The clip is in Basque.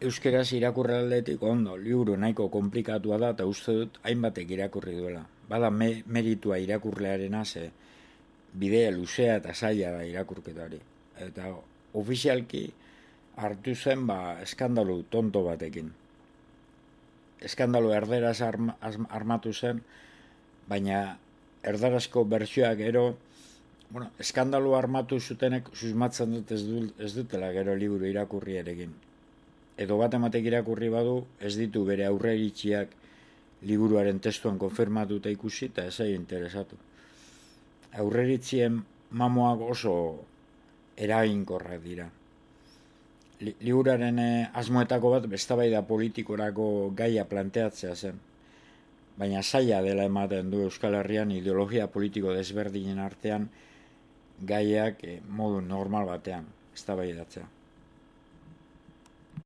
Euskeraz irakurri aldetik ondo, liburu nahiko komplikatua da eta uste dut hainbatek irakurri duela. Bada meritua irakurlearena ze bidea luzea eta zaila da irakurketari. Eta ofizialki hartu zen eskandalu tonto batekin. Eskandalu erderaz armatu zen, baina erdarazko bertsioak gero, eskandalu armatu zutenek susmatzen dut ez dutela gero liburu irakurri erekin. Edo bat ematek irakurri badu, ez ditu bere aurreiritziak liburuaren testuan konfirmatuta ikusi eta ez interesatu. Aurreiritzien mamoak oso eraginkorrak dira. Liburuaren asmoetako bat eztabaida politikorako gaia planteatzea zen. Baina zaila dela ematen du Euskal Herrian ideologia politiko desberdinen artean gaiak modu normal batean eztabaidatzea.